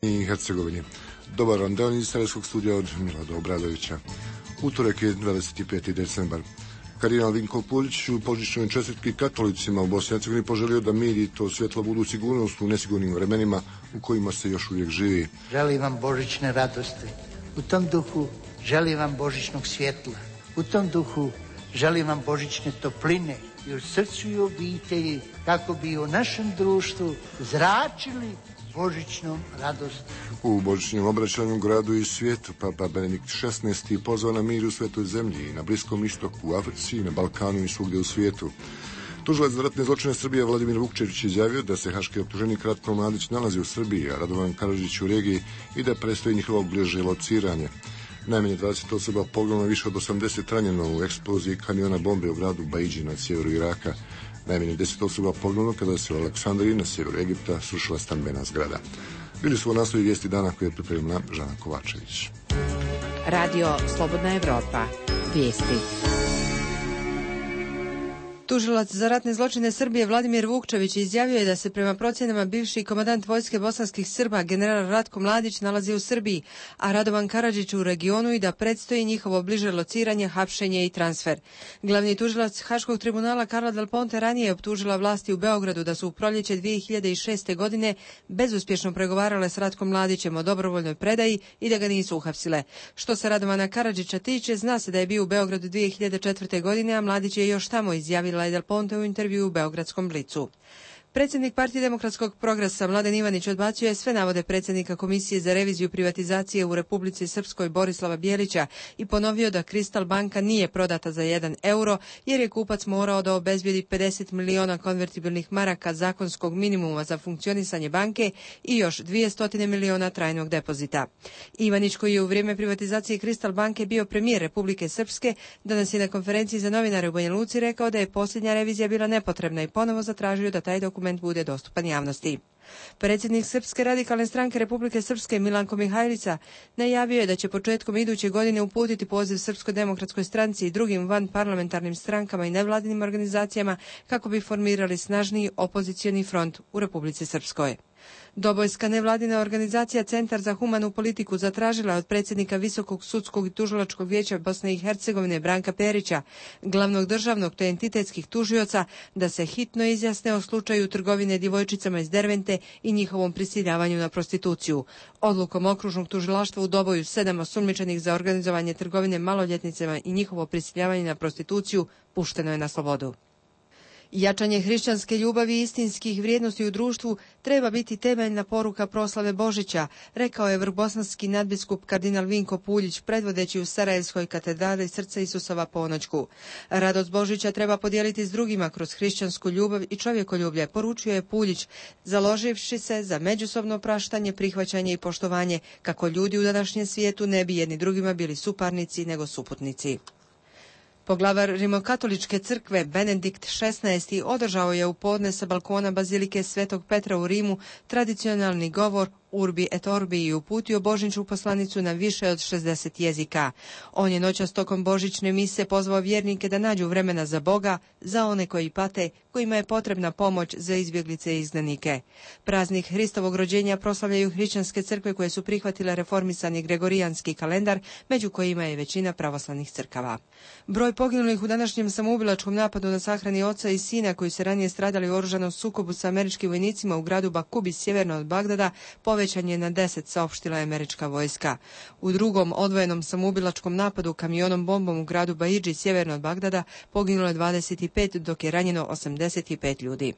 i Hercegovini. Dobar vam dan iz Sarajevskog studija od Milada Obradovića. Utorek je 25. decembar. Kardinal Vinko Puljić u božićnoj čestitki katolicima u Bosni i Hercegovini poželio da mir i to svjetlo budu sigurnost u nesigurnim vremenima u kojima se još uvijek živi. Želim vam božićne radosti. U tom duhu želim vam božićnog svjetla. U tom duhu želim vam božićne topline i u srcu i obitelji, kako bi u našem društvu zračili božićnom radosti. U božićnom obraćanju gradu i svijetu Papa Benedikt XVI pozvao na mir u svetoj zemlji i na Bliskom istoku, u Africi, na Balkanu i svugdje u svijetu. Tužilac za ratne zločine Srbije Vladimir Vukčević izjavio da se haški optuženik Ratko Mladić nalazi u Srbiji, a Radovan Karadžić u regiji i da predstoji njihovo bliže lociranje. Najmanje 20 osoba poginulo, više od 80 ranjeno u eksploziji kamiona bombe u gradu Baidži na sjeveru Iraka. Najmanje 10 osoba poginulo kada se u Aleksandriji na sjeveru Egipta srušila stambena zgrada. Bili su u naslovi vijesti dana koje je pripremila Žana Kovačević. Radio Slobodna Evropa. Vijesti. Tužilac za ratne zločine Srbije Vladimir Vukčević izjavio je da se prema procjenama bivši komandant vojske bosanskih Srba general Ratko Mladić nalazi u Srbiji, a Radovan Karadžić u regionu i da predstoji njihovo bliže lociranje, hapšenje i transfer. Glavni tužilac Haškog tribunala Karla Del Ponte ranije je optužila vlasti u Beogradu da su u proljeće 2006. godine bezuspješno pregovarale s Ratkom Mladićem o dobrovoljnoj predaji i da ga nisu uhapsile. Što se Radovana Karadžića tiče, zna se da je bio u Beogradu 2004. godine, a Mladić je još tamo, izjavila Del Ponte u intervju u Beogradskom Blicu. Predsjednik Partije demokratskog progresa Mladen Ivanić odbacio je sve navode predsjednika Komisije za reviziju privatizacije u Republici Srpskoj Borislava Bijelića i ponovio da Kristal banka nije prodata za 1 euro jer je kupac morao da obezbijedi 50 miliona konvertibilnih maraka zakonskog minimuma za funkcionisanje banke i još 200 miliona trajnog depozita. Ivanić, koji je u vrijeme privatizacije Kristal banke bio premijer Republike Srpske, danas je na konferenciji za novinare u Banja Luci rekao da je posljednja revizija bila nepotrebna i ponovo zatražio da taj dokument bude dostupan javnosti. Predsjednik Srpske radikalne stranke Republike Srpske Milanko Mihajlica najavio je da će početkom iduće godine uputiti poziv Srpskoj demokratskoj stranci i drugim vanparlamentarnim strankama i nevladinim organizacijama kako bi formirali snažniji opozicioni front u Republici Srpskoj. Dobojska nevladina organizacija Centar za humanu politiku zatražila od predsjednika Visokog sudskog i tužilačkog vijeća Bosne i Hercegovine Branka Perića, glavnog državnog te entitetskih tužioca, da se hitno izjasne o slučaju trgovine djevojčicama iz Dervente i njihovom prisiljavanju na prostituciju. Odlukom okružnog tužilaštva u Doboju 7 osumnjičenih za organizovanje trgovine maloljetnicama i njihovo prisiljavanje na prostituciju pušteno je na slobodu. Jačanje hrišćanske ljubavi i istinskih vrijednosti u društvu treba biti temeljna poruka proslave Božića, rekao je vrbosanski nadbiskup kardinal Vinko Puljić, predvodeći u Sarajevskoj katedrali Srca Isusova ponoćku. Radost Božića treba podijeliti s drugima kroz hrišćansku ljubav i čovjekoljublje, poručio je Puljić, založivši se za međusobno praštanje, prihvaćanje i poštovanje, kako ljudi u današnjem svijetu ne bi jedni drugima bili suparnici nego suputnici. Poglavar Rimokatoličke crkve Benedikt XVI održao je u podne sa balkona Bazilike Svetog Petra u Rimu tradicionalni govor Urbi et Orbi i uputio božićnu poslanicu na više od 60 jezika. On je noćas tokom božićne mise pozvao vjernike da nađu vremena za Boga, za one koji pate, kojima je potrebna pomoć, za izbjeglice i izgnanike. Praznik Hristovog rođenja proslavljaju hrišćanske crkve koje su prihvatile reformisani gregorijanski kalendar, među kojima je većina pravoslavnih crkava. Broj poginulih u današnjem samoubilačkom napadu na sahrani oca i sina koji se ranije stradali u oružanom sukobu sa američkim vojnicima u gradu Bakubi sjeverno od Bagdada povećan je na 10, saopštila je američka vojska. U drugom odvojenom samoubilačkom napadu kamionom bombom u gradu Baidži sjeverno od Bagdada poginulo je 25, dok je ranjeno 85 ljudi.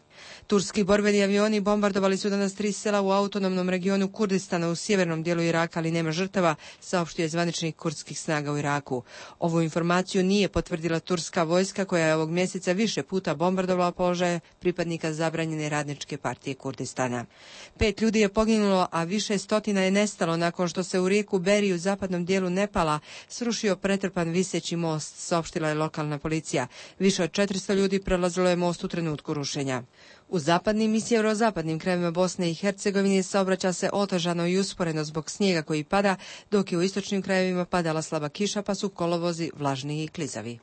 Turski borbeni avioni bombardovali su danas 3 sela u autonomnom regionu Kurdistana u sjevernom dijelu Iraka, ali nema žrtava, saopštio je zvaničnik kurdskih snaga u Iraku. Ovu informaciju nije potvrdila turska vojska koja je ovog mjeseca više puta bombardovala položaje pripadnika zabranjene radničke partije Kurdistana. 5 ljudi je poginulo, a više stotina je nestalo nakon što se u rijeku Beri u zapadnom dijelu Nepala srušio pretrpan viseći most, saopštila je lokalna policija. Više od 400 ljudi prelazilo je most u trenutku rušenja. U zapadnim i sjeverozapadnim krajevima Bosne i Hercegovine saobraća se otežano i usporeno zbog snijega koji pada, dok je u istočnim krajevima padala slaba kiša, pa su kolovozi vlažni i klizavi.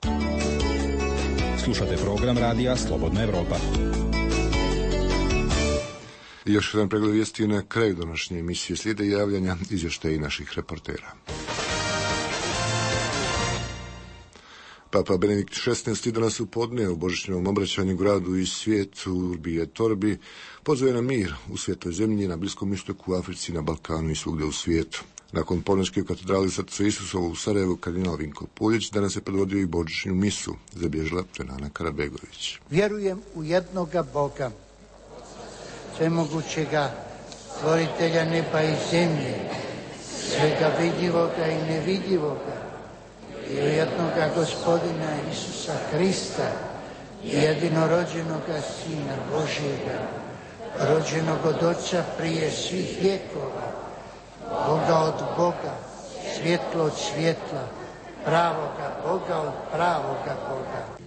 Slušate program radija Slobodna Evropa. I još jedan pregled vijesti na kraju današnje emisije. Slijede javljanja, izvještaji naših reportera. Papa Benedikt XVI danas u podne u božićnom obraćanju gradu i svijetu Urbi et Orbi pozove na mir u svetoj zemlji, na Bliskom istoku, u Africi, na Balkanu i svugdje u svijetu. Nakon ponoći u katedrali Srca Isusovo u Sarajevu, kardinal Vinko Puljić danas je predvodio i božićnu misu, zabilježila Dženana Karabegović. Vjerujem u jednoga Boga, svemogućega, stvoritelja neba i zemlje, svega vidljivoga i nevidljivoga, i u jednoga Gospodina Isusa Krista, jedinorođenoga Sina Božjega, rođenog od Oca prije svih vjekova, Boga od Boga, svjetlo od svjetla, pravoga Boga od pravoga Boga.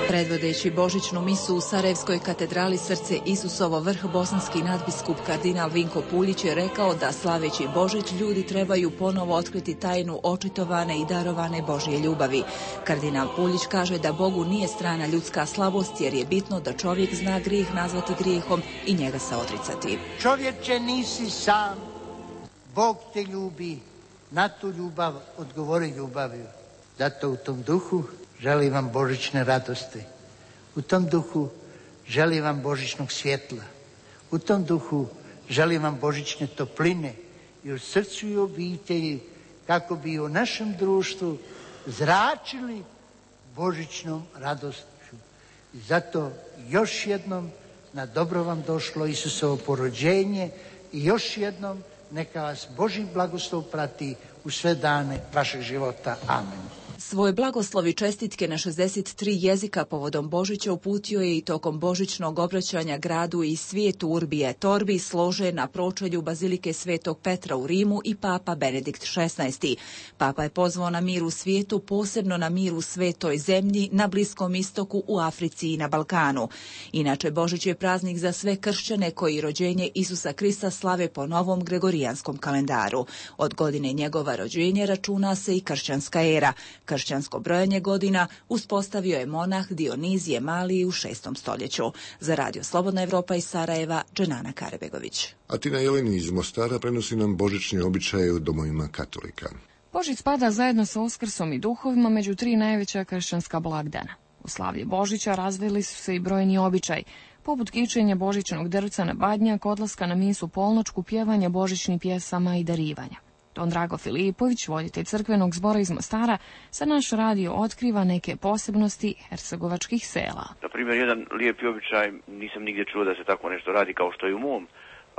Predvodeći božićnu misu u Sarajevskoj katedrali Srce Isusovo, vrh bosanski nadbiskup kardinal Vinko Puljić je rekao da slaveći Božić ljudi trebaju ponovo otkriti tajnu očitovane i darovane Božje ljubavi. Kardinal Puljić kaže da Bogu nije strana ljudska slabost, jer je bitno da čovjek zna grijeh nazvati grijehom i njega se odricati. Čovječe, nisi sam, Bog te ljubi, na tu ljubav odgovori ljubaviju. Zato u tom duhu želim vam božićne radosti. U tom duhu želim vam božićnog svjetla. U tom duhu želim vam božićne topline i u srcu i obitelji, kako bi u našem društvu zračili božićnom radošću. I zato još jednom na dobro vam došlo Isusovo porođenje i još jednom neka vas Božji blagoslov prati u sve dane vašeg života. Amen. Svoje blagoslovi čestitke na 63 jezika povodom Božića uputio je i tokom božićnog obraćanja gradu i svijetu Urbi et Orbi, složen na pročelju Bazilike Svetog Petra u Rimu i Papa Benedikt XVI. Papa je pozvao na mir u svijetu, posebno na mir u svetoj zemlji, na Bliskom istoku, u Africi i na Balkanu. Inače, Božić je praznik za sve kršćane koji rođenje Isusa Krista slave po novom gregorijanskom kalendaru. Od godine njegova rođenja računa se i kršćanska era. Kršćansko brojanje godina uspostavio je monah Dionizije Maliji u 6. stoljeću. Za Radio Slobodna Evropa iz Sarajeva, Dženana Karabegović. A Tina Jeleni iz Mostara prenosi nam božićne običaje u domovima katolika. Božić spada zajedno sa Uskrsom i duhovima među 3 najveća kršćanska blagdana. U slavlje Božića razvili su se i brojni običaj, poput kičenja božićnog drvca na badnjak, odlaska na misu polnočku, pjevanja božićnih pjesama i darivanja. Don Drago Filipović, voditelj crkvenog zbora iz Mostara, sa naš radio otkriva neke posebnosti hercegovačkih sela. Na primjer, jedan lijepi običaj, nisam nigdje čuo da se tako nešto radi kao što je u mom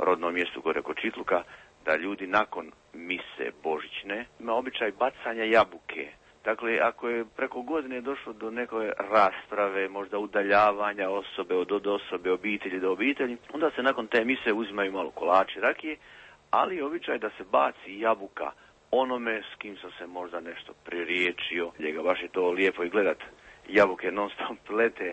rodnom mjestu gore kod Čitluka, da ljudi nakon mise božićne ima običaj bacanja jabuke. Dakle, ako je preko godine došlo do neke rasprave, možda udaljavanja osobe od osobe, obitelji do obitelji, onda se nakon te mise uzimaju malo kolači, rakije, ali običaj da se baci jabuka onome s kim sam se možda nešto pririječio. Njega baš je to lijepo i gledat. Jabuke non stop lete,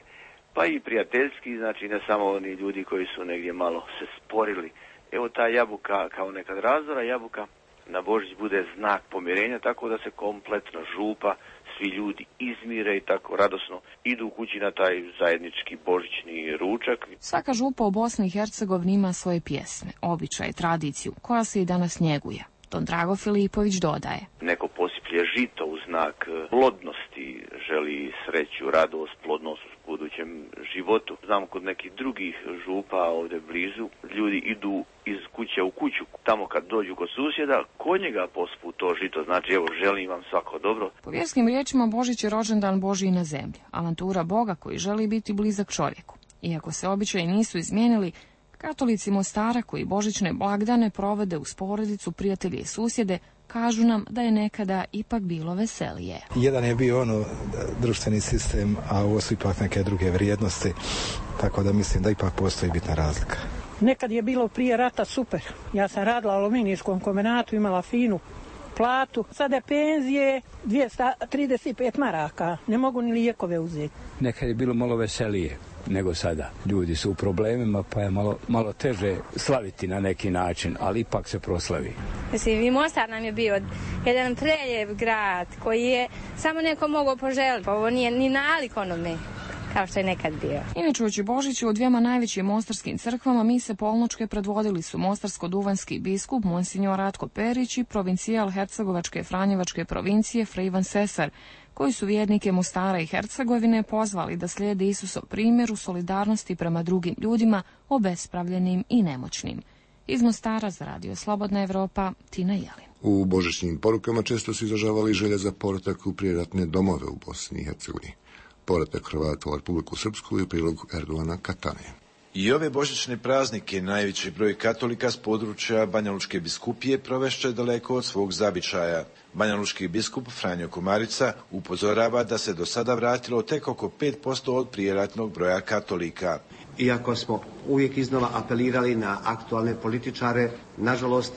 pa i prijateljski, znači ne samo oni ljudi koji su negdje malo se sporili. Evo ta jabuka, kao nekad razdora jabuka, na Božić bude znak pomirenja, tako da se kompletno župa, svi ljudi izmire i tako radosno idu u kući na taj zajednički božićni ručak. Svaka župa u Bosni i Hercegovini ima svoje pjesme, običaje, tradiciju, koja se i danas njeguje. Don Drago Filipović dodaje. Neko posiplje žito u znak plodnosti, želi sreću, radost, plodnost u budućem životu. Znam kod nekih drugih župa ovdje blizu, ljudi idu iz kuće u kuću, tamo kad dođu kod susjeda, kod njega pospu to žito, znači evo želim vam svako dobro. Po vjerskim riječima Božić je rođendan Božji na zemlji, avantura Boga koji želi biti blizak čovjeku. Iako se običaji nisu izmijenili, katolici Mostara koji božićne blagdane provode uz porodicu, prijatelje i susjede, kažu nam da je nekada ipak bilo veselije. Jedan je bio društveni sistem, a ovo su ipak neke druge vrijednosti, tako da mislim da ipak postoji bitna razlika. Nekad je bilo prije rata super. Ja sam radila u aluminijskom kombinatu, imala finu platu. Sada je penzije 235 maraka. Ne mogu ni lijekove uzeti. Nekad je bilo malo veselije nego sada. Ljudi su u problemima, pa je malo teže slaviti na neki način, ali ipak se proslavi. Mislim, i Mostar nam je bio jedan preljev grad koji je samo neko mogao poželiti. Ovo nije ni nalik onome kao što je nekad bio. Inače, uoči Božića u dvijema najvećim mostarskim crkvama mise polnočke predvodili su mostarsko-duvanjski biskup Monsignor Ratko Perić i provincijal Hercegovačke Franjevačke provincije Fra Ivan Sesar, koji su vjernike Mostara i Hercegovine pozvali da slijede Isusov primjer u solidarnosti prema drugim ljudima, obespravljenim i nemoćnim. Iz Mostara za Radio Slobodna Evropa, Tina Jelin. U božićnim porukama često su izražavali želje za povratak u prijeratne domove u Bosni i Hercegovini. Povratak Hrvata u Republiku Srpsku je prilog Erdogana Katane. I ove božićne praznike najveći broj katolika s područja Banjalučke biskupije provešće daleko od svog zavičaja. Banjalučki biskup Franjo Komarica upozorava da se do sada vratilo tek oko 5% od prijeratnog broja katolika. Iako smo uvijek iznova apelirali na aktualne političare, nažalost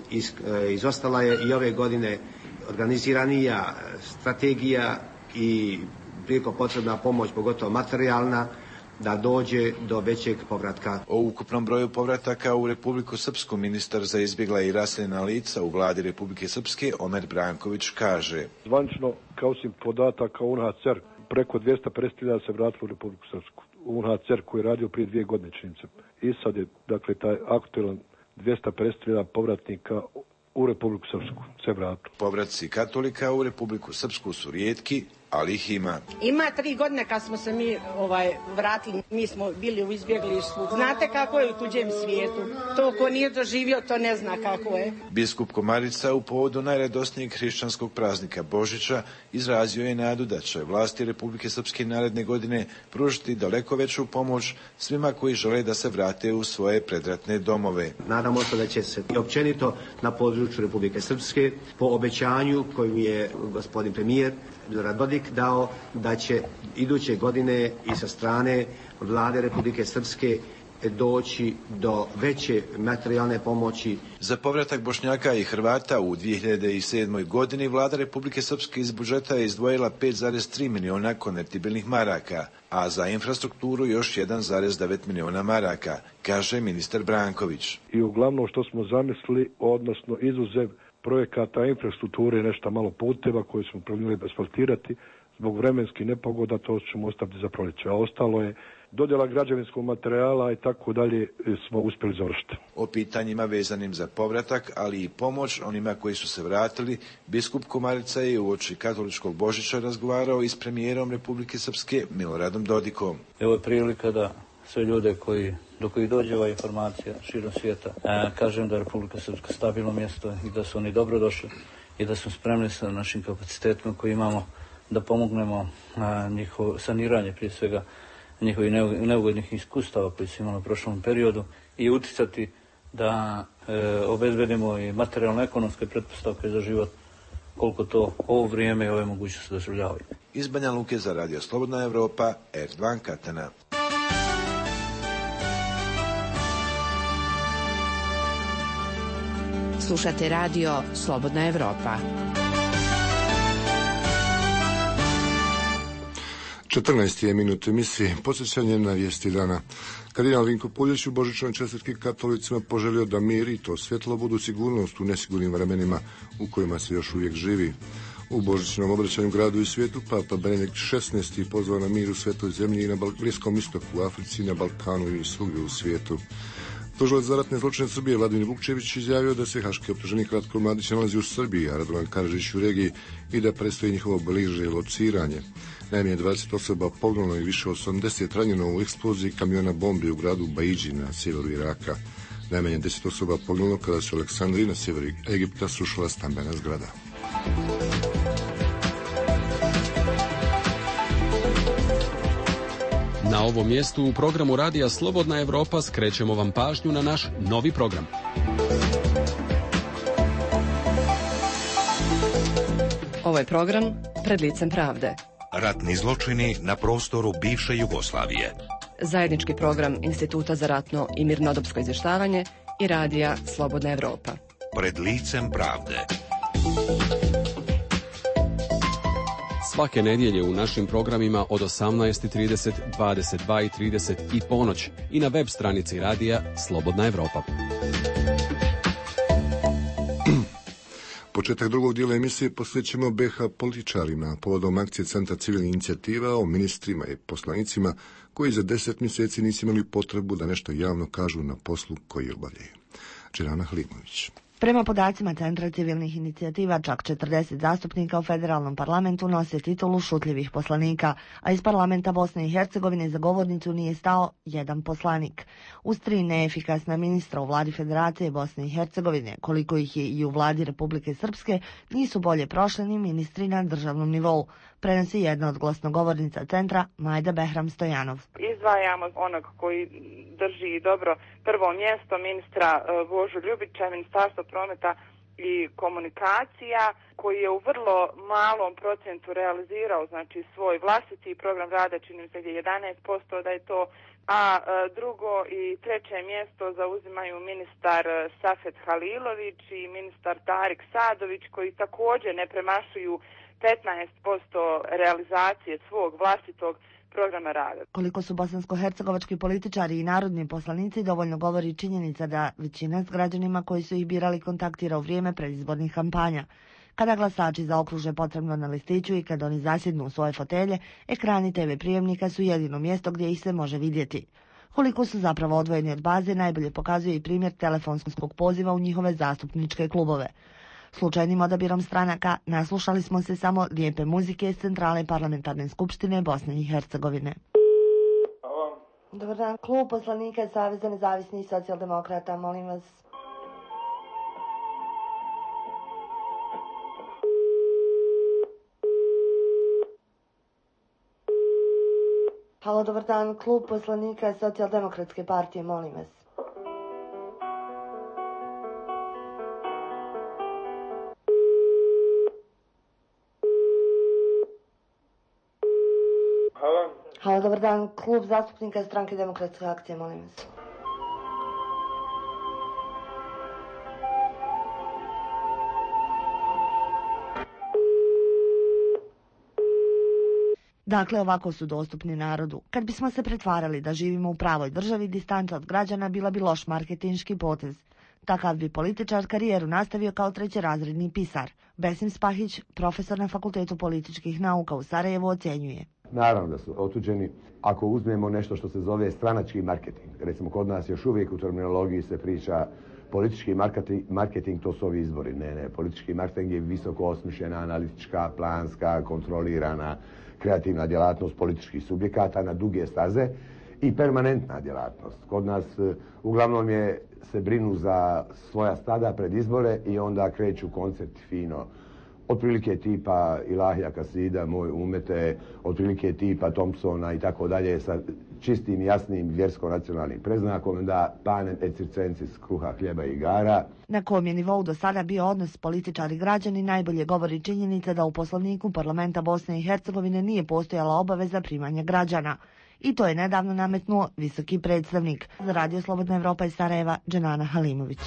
izostala je i ove godine organiziranija strategija i prijeko potrebna pomoć, pogotovo materijalna, da dođe do većeg povratka. O ukupnom broju povrataka u Republiku Srpsku ministar za izbjegla i raseljena lica u vladi Republike Srpske Omer Branković kaže: Zvanično, kao osim podataka UNHCR, preko 250.000 se vratilo u Republiku Srpsku. UNHCR koji je radio prije 2 godine, čini se. I sad je, dakle, taj aktualan 250.000 povratnika u Republiku Srpsku se vratilo. Povratci katolika u Republiku Srpsku su rijetki, ali ih ima. Ima 3 godine kad smo se mi vratili, mi smo bili u izbjeglištvu. Znate kako je u tuđem svijetu? To ko nije doživio, to ne zna kako je. Biskup Komarica u povodu najradosnijeg hrišćanskog praznika Božića izrazio je nadu da će vlasti Republike Srpske naredne godine pružiti daleko veću pomoć svima koji žele da se vrate u svoje predratne domove. Nadamo se da će se i općenito na području Republike Srpske po obećanju koju je gospodin premijer Milorad Dodik dao da će iduće godine i sa strane vlade Republike Srpske doći do veće materijalne pomoći. Za povratak Bošnjaka i Hrvata u 2007. godini vlada Republike Srpske iz budžeta je izdvojila 5,3 miliona konvertibilnih maraka, a za infrastrukturu još 1,9 miliona maraka, kaže ministar Branković. I uglavnom što smo zamislili, odnosno izuzev projekata infrastrukture, nešto malo puteva koje smo planirali asfaltirati, zbog vremenskih nepogoda to ćemo ostaviti za proljeće, a ostalo je dodjela građevinskog materijala i tako dalje smo uspjeli završiti. O pitanjima vezanim za povratak, ali i pomoć onima koji su se vratili, biskup Komarica je uoči katoličkog Božića razgovarao i s premijerom Republike Srpske Miloradom Dodikom. Evo je prilika da sve ljude do kojih dođe ova informacija širom svijeta, kažem da je Republika Srpska stabilno mjesto i da su oni dobrodošli i da smo spremni sa našim kapacitetima koji imamo da pomognemo njihovo saniranje, prije svega njihovih neugodnih iskustava koji su imali u prošlom periodu i uticati da obezbedimo i materijalno-ekonomske pretpostavke za život koliko to ovo vrijeme i ove mogućnosti dozvoljavaju. Iz Banja Luke za Radio Slobodna Evropa, Erdvan Katana. Slušate Radio Slobodna Evropa. 14 je minut emisije, podsjećanje na vijesti dana. Kardinal Vinko Puljić u božićnoj čestitki katolicima poželio da mir i to svjetlo budu sigurnost u nesigurnim vremenima u kojima se još uvijek živi. U božićnom obraćanju gradu i svijetu Papa Benedikt XVI pozvao na mir u svetoj zemlji i na Bliskom istoku, u Africi, na Balkanu i svugdje u svijetu. Tužilac za ratne zločine Srbije Vladimir Vukčević izjavio da se haški optuženik Ratko Mladić nalazi u Srbiji, a Radovan Karadžić u regiji i da predstoji njihovo bliže lociranje. Najmanje 20 osoba poginulo i više od 80 ranjeno u eksploziji kamiona bombi u gradu Baidži na sjeveru Iraka. Najmanje 10 osoba poginulo kada se u Aleksandriji na sjeveru Egipta srušila stambena zgrada. Na ovom mjestu u programu Radija Slobodna Evropa skrećemo vam pažnju na naš novi program. Ovo je program Pred licem pravde. Ratni zločini na prostoru bivše Jugoslavije. Zajednički program Instituta za ratno i mirnodopsko izvještavanje i Radija Slobodna Evropa. Pred licem pravde. Svake nedjelje u našim programima od 18:30, 22:30 i ponoć i na web stranici Radija Slobodna Evropa. početak drugog dijela emisije posvećujemo BiH političarima povodom akcije Centra civilnih inicijativa o ministrima i poslanicima koji za 10 mjeseci nisu imali potrebu da nešto javno kažu na poslu koji obavljaju. Dženana Halimović. Prema podacima Centra civilnih inicijativa, čak 40 zastupnika u federalnom parlamentu nose titulu šutljivih poslanika, a iz parlamenta Bosne i Hercegovine za govornicu nije stao jedan poslanik. Uz 3 neefikasna ministra u vladi Federacije Bosne i Hercegovine, koliko ih je i u vladi Republike Srpske, nisu bolje prošli ni ministri na državnom nivou, prenosi jedna od glasnogovornica centra, Majda Behram Stojanov. Izdvajamo onog koji drži dobro prvo mjesto, ministra Božu Ljubića, Ministarstvo prometa i komunikacija, koji je u vrlo malom procentu realizirao znači svoj vlastiti program rada, čini mi se 11% da je to, a drugo i treće mjesto zauzimaju ministar Safet Halilović i ministar Tarik Sadović, koji također ne premašuju 15% realizacije svog vlastitog programa rada. Koliko su bosansko-hercegovački političari i narodni poslanici dovoljno govori činjenica da većina s građanima koji su ih birali kontaktira u vrijeme predizbornih kampanja. Kada glasači zaokruže potrebno na listiću i kad oni zasjednu u svoje fotelje, ekrani TV prijemnika su jedino mjesto gdje ih se može vidjeti. Koliko su zapravo odvojeni od baze najbolje pokazuje i primjer telefonskog poziva u njihove zastupničke klubove. Slučajnim odabirom stranaka naslušali smo se samo lijepe muzike iz centrale parlamentarne skupštine Bosne i Hercegovine. Dobar dan, klub poslanika Saveza nezavisnih socijaldemokrata, molim vas. Halo, dobar dan, klub poslanika Socijaldemokratske partije, molim vas. Halo, dobar dan, klub zastupnika Stranke demokratske akcije, molim vas. Dakle, ovako su dostupni narodu. Kad bismo se pretvarali da živimo u pravoj državi, distanca od građana bila bi loš marketinški potez. Takav bi političar karijeru nastavio kao trećerazredni pisar. Besim Spahić, profesor na Fakultetu političkih nauka u Sarajevu, ocjenjuje. Naravno da su otuđeni. Ako uzmemo nešto što se zove stranački marketing, recimo kod nas još uvijek u terminologiji se priča politički marketing, to su ovi izbori. Ne, politički marketing je visoko osmišljena, analitička, planska, kontrolirana, kreativna djelatnost političkih subjekata na duge staze i permanentna djelatnost. Kod nas uglavnom se brinu za svoja stada pred izbore i onda kreću koncepti fino. Otprilike tipa Ilahija Kasida, Moj umete, otprilike tipa Thompsona i tako dalje sa čistim, jasnim vjersko-nacionalnim predznakom, da panem et circensis, kruha, hljeba i igara. Na kom je nivou do sada bio odnos političari građani najbolje govori činjenica da u Poslovniku parlamenta Bosne i Hercegovine nije postojala obaveza primanja građana. I to je nedavno nametnuo visoki predstavnik. Za Radio Slobodna Evropa iz Sarajeva, Dženana Halimović.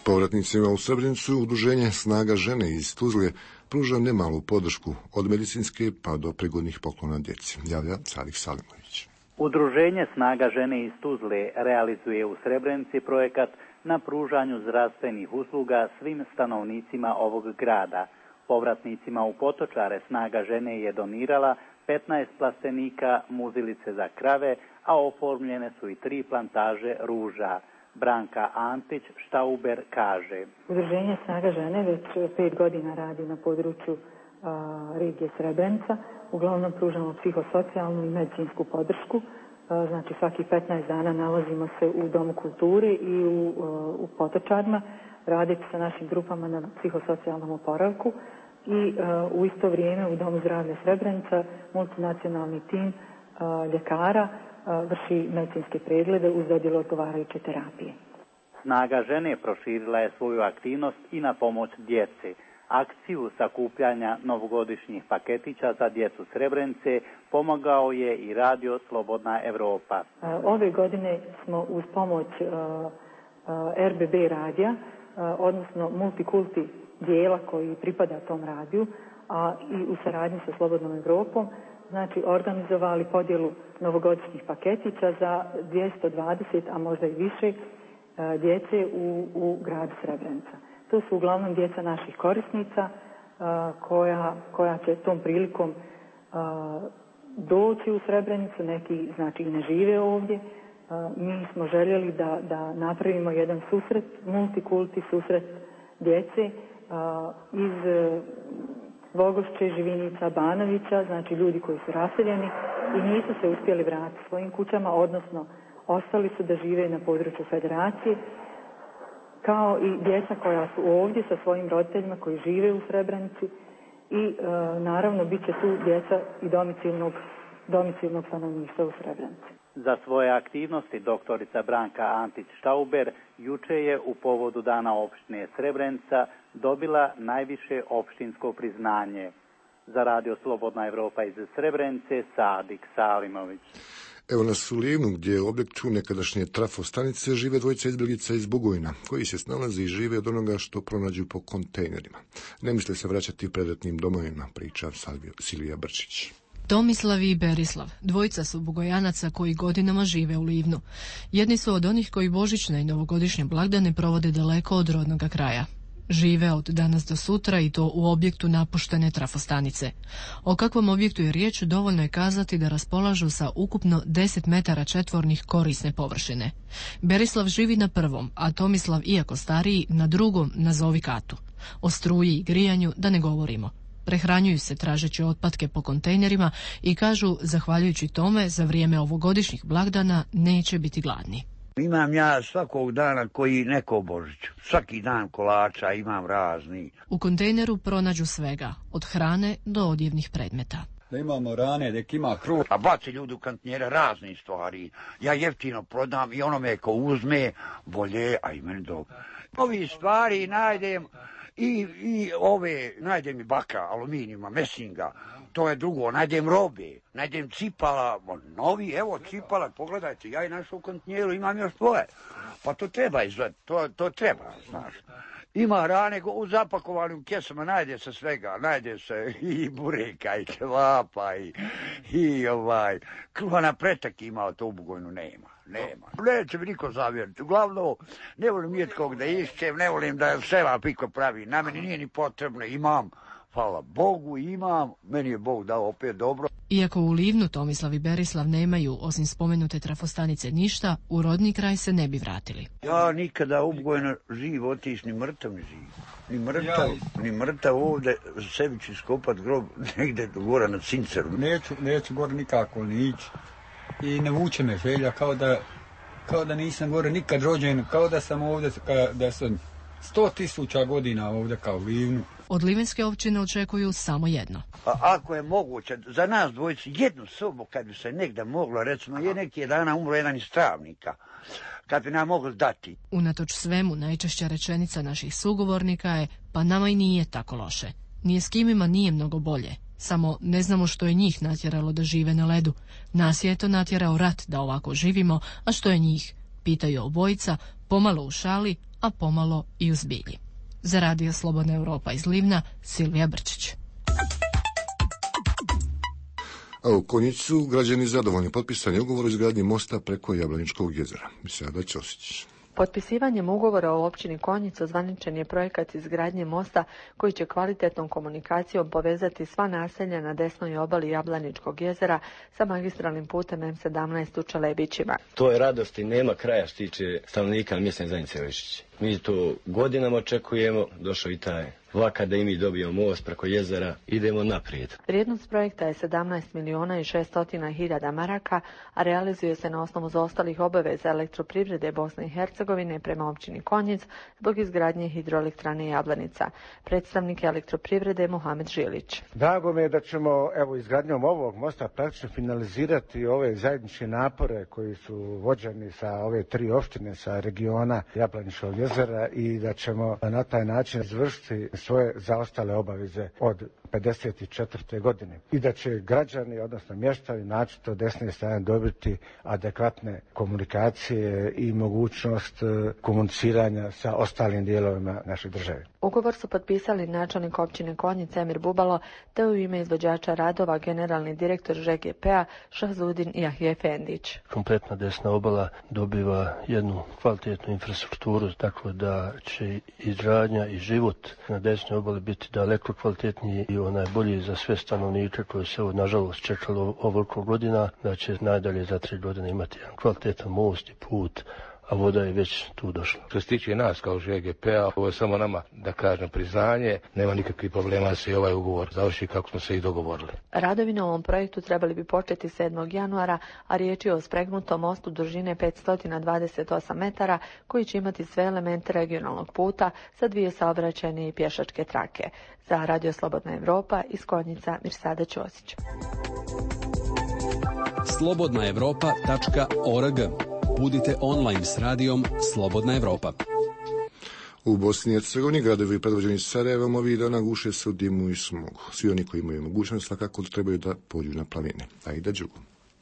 Povratnicima u Srebrenicu udruženje Snaga žene iz Tuzle pruža nemalu podršku od medicinske pa do prigodnih poklona djeci. Javlja Salih Salimović. Udruženje Snaga žene iz Tuzle realizuje u Srebrenici projekat na pružanju zdravstvenih usluga svim stanovnicima ovog grada. Povratnicima u Potočare Snaga žene je donirala 15 plastenika muzilice za krave, a oformljene su i 3 plantaže ruža. Branka Antić, Štauber, kaže. Udruženje Snaga žene već 5 godina radi na području regije Srebrenica. Uglavnom pružamo psihosocijalnu i medicinsku podršku. Znači svaki 15 dana nalazimo se u Domu kulture i u Potočarima, raditi sa našim grupama na psihosocijalnom oporavku i u isto vrijeme u Domu zdravlja Srebrenica multinacionalni tim ljekara vrši medicinske preglede uz dodjelu odgovarajuće terapije. Snaga žene proširila je svoju aktivnost i na pomoć djeci. Akciju sakupljanja novogodišnjih paketića za djecu Srebrenice pomogao je i Radio Slobodna Evropa. Ove godine smo uz pomoć RBB radija, odnosno multikulti dijela koji pripada tom radiju, a i u saradnji sa Slobodnom Evropom, znači organizovali podjelu novogodišnjih paketića za 220, a možda i više djece u gradu Srebrenica. To su uglavnom djeca naših korisnica koja će tom prilikom doći u Srebrenicu, neki znači i ne žive ovdje. Mi smo željeli da napravimo jedan susret, multikulti susret djece iz Vogošće, Živinica, Banovića, znači ljudi koji su raseljeni i nisu se uspjeli vratiti svojim kućama, odnosno ostali su da žive na području Federacije, kao i djeca koja su ovdje sa svojim roditeljima koji žive u Srebrenici i naravno bit će tu djeca i domicilnog stanovništva u Srebrenici. Za svoje aktivnosti doktorica Branka Antić-Štauber juče je u povodu Dana opštine Srebrenica dobila najviše opštinsko priznanje. Za radio Slobodna Evropa iz Srebrenice, Sadik Salimović. Evo nas u Livnu, gdje je objektu nekadašnje trafostanice žive dvojica izbjeglica iz Bugojna, koji se snalazi i žive od onoga što pronađu po kontejnerima. Ne misle se vraćati predratnim domovima, priča Silvija Brčić. Tomislav i Berislav, dvojica su Bugojanaca koji godinama žive u Livnu. Jedni su od onih koji božićne i novogodišnje blagdane provode daleko od rodnoga kraja. Žive od danas do sutra i to u objektu napuštene trafostanice. O kakvom objektu je riječ dovoljno je kazati da raspolažu sa ukupno 10 metara četvornih korisne površine. Berislav živi na prvom, a Tomislav, iako stariji, na drugom, nazovi katu. O struji i grijanju da ne govorimo. Prehranjuju se tražeći otpadke po kontejnerima i kažu, zahvaljujući tome, za vrijeme ovogodišnjih blagdana neće biti gladni. Imam ja svakog dana koji neko Božić. Svaki dan kolača imam razni. U kontejneru pronađu svega, od hrane do odjevnih predmeta. Da imamo rane, da ima kruh. A baci ljudi u kontejnere razne stvari. Ja jeftino prodam i onome ko uzme bolje, a i meni dobro. Ovi stvari najdem i ove, najdem i baka, aluminijuma, mesinga. To je drugo, najdem robe, najdem cipala, novi, evo cipala, pogledajte, ja i našao u kontejneru, imam još svoje. Pa to treba izvati, to treba, znaš. Ima rane u zapakovanim kesama, najde se svega, najde se i bureka, i ćevapa, i kruha na pretak ima, to u Bugojnu nema. Neće mi niko zavjeriti. Uglavnom, ne volim nijetkog da išćem, ne volim da sela piko pravi. Na meni nije ni potrebno, imam, hvala Bogu, imam, meni je Bog dao opet dobro. Iako u Livnu Tomislav i Berislav nemaju, osim spomenute trafostanice, ništa, u rodni kraj se ne bi vratili. Ja nikada u Bugojnu živ otiš, ni mrtav ne živ. Ni mrtav ovdje, sebi ću iskopat grob negdje gore na Cinceru. Neću gore nikako ni ići. I ne vuče me želja, kao da nisam gore nikad rođen, kao da sam ovdje, da sam 100.000 godina ovdje kao u Livnu. Od livenske općine očekuju samo jedno. A ako je moguće, za nas dvojicu jednu sobu, kad bi se negdje moglo, recimo, je neki dana umro jedan iz Travnika, kad bi nam mogli dati. Unatoč svemu, najčešća rečenica naših sugovornika je, pa nama i nije tako loše. Nije s kimima nije mnogo bolje. Samo ne znamo što je njih natjeralo da žive na ledu. Nas je to natjerao rat da ovako živimo, a što je njih? Pitaju obojica, pomalo u šali, a pomalo i u zbilji. Za radio Slobodna Evropa iz Livna, Silvija Brčić. A u Konjicu građani zadovoljni, potpisan je ugovor o izgradnji mosta preko Jablaničkog jezera. Sada Ćosić. Potpisivanjem ugovora o općini Konjic ozvaničen je projekat izgradnje mosta koji će kvalitetnom komunikacijom povezati sva naselja na desnoj obali Jablaničkog jezera sa magistralnim putem M17 u Čelebićima. To je radost i nema kraja što tiče stanovnika mjesne zajednice Lešići. Mi to godinama očekujemo, došao i taj vlak da i mi dobijemo most preko jezera, idemo naprijed. Vrijednost projekta je 17.600.000 maraka, a realizuje se na osnovu zaostalih obaveza Elektroprivrede Bosne i Hercegovine prema općini Konjic zbog izgradnje hidroelektrane Jablanica. Predstavnik Elektroprivrede Mohamed Žilić. Drago mi je da ćemo izgradnjom ovog mosta praktično finalizirati ove zajedničke napore koji su vođeni sa ove tri opštine sa regiona Jablaničkog jezera i da ćemo na taj način izvršiti svoje zaostale obaveze od 54. godine i da će građani, odnosno mještani, naročito desne strane dobiti adekvatne komunikacije i mogućnost komuniciranja sa ostalim dijelovima naše države. Ugovor su potpisali načelnik općine Konjice Emir Bubalo, te u ime izvođača radova generalni direktor ŽGP-a Šahzudin Jahjefendić. Kompletna desna obala dobiva jednu kvalitetnu infrastrukturu, tako da će izgradnja i život na desnoj obali biti daleko kvalitetniji i bolji za sve stanovnike koji se nažalost čekalo ovoliko godina, da će najdalje za 3 godine imati jedan kvalitetan most i put, a voda je već tu došla. Što se tiče nas kao ŽGP-a, ovo je samo nama, da kažem, priznanje. Nema nikakvih problema da se i ovaj ugovor završi kako smo se i dogovorili. Radovi na ovom projektu trebali bi početi 7. januara, a riječ je o spregnutom mostu dužine 528 metara, koji će imati sve elemente regionalnog puta sa 2 saobraćajne i pješačke trake. Za Radio Slobodna Evropa iz Konjica, Mirsada Ćosić. slobodnaevropa.org. Budite online s radijom Slobodna Evropa. U Bosni i Hercegovini gradovi predvođeni Sarajevom ovih dana guše se u dimu i smogu. Svi oni koji imaju mogućnost svakako trebaju da pođu na planine. Aida Đugo.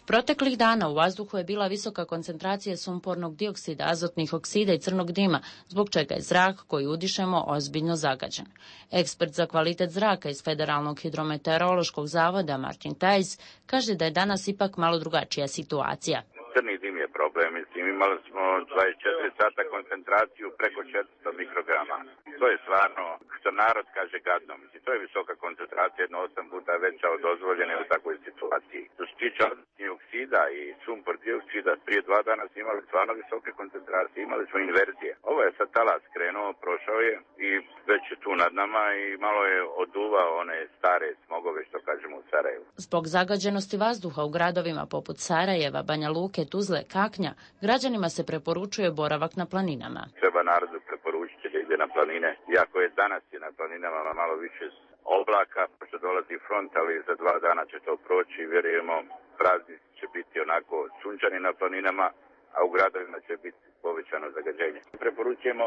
Proteklih dana u vazduhu je bila visoka koncentracija sumpornog dioksida, azotnih oksida i crnog dima, zbog čega je zrak koji udišemo ozbiljno zagađen. Ekspert za kvalitet zraka iz Federalnog hidrometeorološkog zavoda Martin Tajs kaže da je danas ipak malo drugačija situacija. Crni dim je problem, mislim, imali smo 24 sata koncentraciju preko 400 mikrograma. To je stvarno, što narod kaže, gadno. Mislim, to je visoka koncentracija, 8 puta veća od dozvoljene u takvoj situaciji. Što se tiče oksida i sumpor dioksida, prije 2 dana smo imali stvarno visoke koncentracije, imali smo inverzije. Ovo je sad talas krenuo, prošao je i već je tu nad nama i malo je oduvao one stare smogove, što kažemo u Sarajevu. Zbog zagađenosti vazduha u gradovima poput Sarajeva, Banja Luke, Tuzle, Kaknja, građanima se preporučuje boravak na planinama. Treba narodu preporučiti da ide na planine, iako je danas je na planinama malo više oblaka, pošto dolazi front, ali za 2 dana će to proći i vjerujemo praznici će biti onako sunčani na planinama, a u gradovima će biti povećano zagađenje. Preporučujemo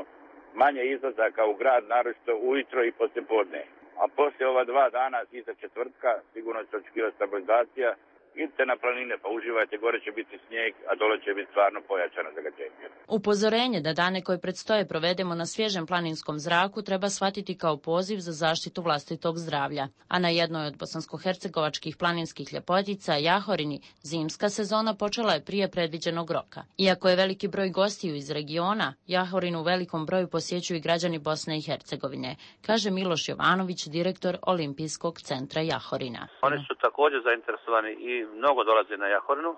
manje izlazaka u grad, naročito ujutro i poslijepodne. A poslije ova 2 dana iza četvrtka sigurno će očekivati stabilizacija. Idite na planine pa uživajte, gore će biti snijeg, a dole će biti stvarno pojačano zagađenje. Upozorenje da dane koje predstoje provedemo na svježem planinskom zraku treba shvatiti kao poziv za zaštitu vlastitog zdravlja. A na jednoj od bosansko-hercegovačkih planinskih ljepotica, Jahorini, zimska sezona počela je prije predviđenog roka. Iako je veliki broj gostiju iz regiona, Jahorinu u velikom broju posjećuju i građani Bosne i Hercegovine, kaže Miloš Jovanović, direktor Olimpijskog centra Jahorina. Oni su također zainteresovani i mnogo dolaze na Jahorinu,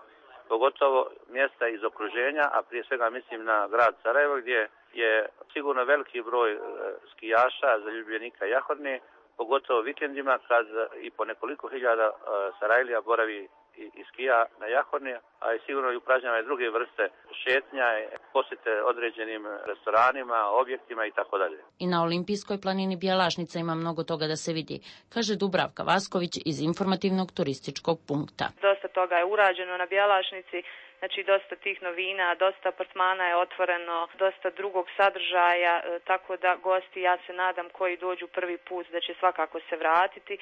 pogotovo mjesta iz okruženja, a prije svega mislim na grad Sarajevo, gdje je sigurno veliki broj skijaša, zaljubljenika Jahorine, pogotovo vikendima kad i po nekoliko hiljada Sarajlija boravi i skija na Jahorni, a i sigurno i upražnjava i druge vrste šetnja, posjete određenim restoranima, objektima i tako dalje. I na Olimpijskoj planini Bjelašnica ima mnogo toga da se vidi, kaže Dubravka Vasković iz informativnog turističkog punkta. Dosta toga je urađeno na Bjelašnici, znači dosta tih novina, dosta apartmana je otvoreno, dosta drugog sadržaja, tako da gosti, ja se nadam, koji dođu prvi put da će svakako se vratiti.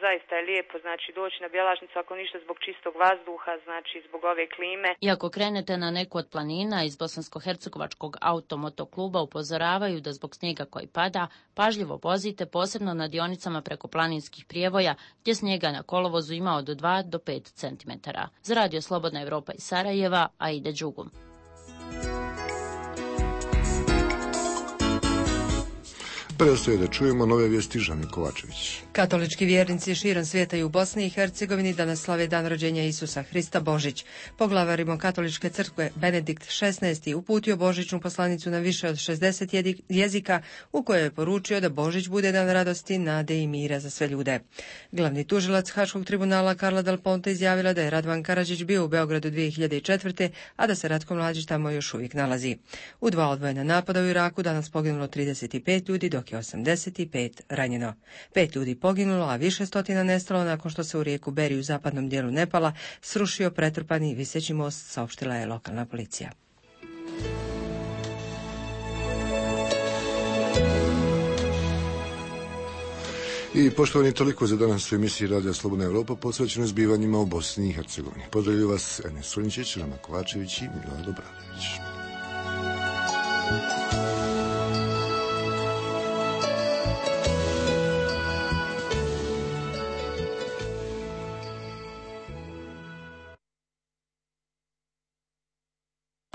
Zaista je lijepo, znači doći na Bjelašnicu, ako ništa zbog čistog vazduha, znači zbog ove klime. I ako krenete na neku od planina, iz Bosansko-hercegovačkog automotokluba upozoravaju da zbog snijega koji pada, pažljivo vozite, posebno na dionicama preko planinskih prijevoja, gdje snijega na kolovozu ima od 2 do 5 cm. Za Radio Slobodna Evropa iz Sarajeva, Aida Đugo. Preostaje da čujemo nove vijesti. Žani Kovačević. Katolički vjernici širom svijeta i u Bosni i Hercegovini danas slave dan rođenja Isusa Hrista Božić. Poglavar Rimokatoličke crkve Benedikt XVI uputio božićnu poslanicu na više od 60 jezika, u kojoj je poručio da Božić bude dan radosti, nade i mira za sve ljude. Glavni tužilac Haškog tribunala Karla Del Ponte izjavila da je Radvan Karadžić bio u Beogradu 2004. a da se Ratko Mladić tamo još uvijek nalazi. U 2 odvojena napada u Iraku danas poginulo 35 ljudi, dok je 85 ranjeno. 5 ljudi poginulo, a više stotina nestalo nakon što se u rijeku Beri u zapadnom dijelu Nepala srušio pretrpani viseći most, saopštila je lokalna policija. I poštovani, toliko za danas u emisiji Radija Slobodna Evropa posvećeno zbivanjima u Bosni i Hercegovini. Pozdravljaju vas Enes Sunčić, Rama Kovačević i Milorad Obradović.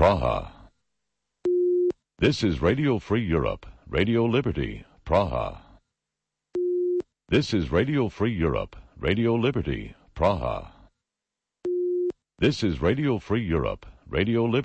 Praha. This is Radio Free Europe, Radio Liberty, Praha. This is Radio Free Europe, Radio Liberty, Praha. This is Radio Free Europe, Radio Liberty.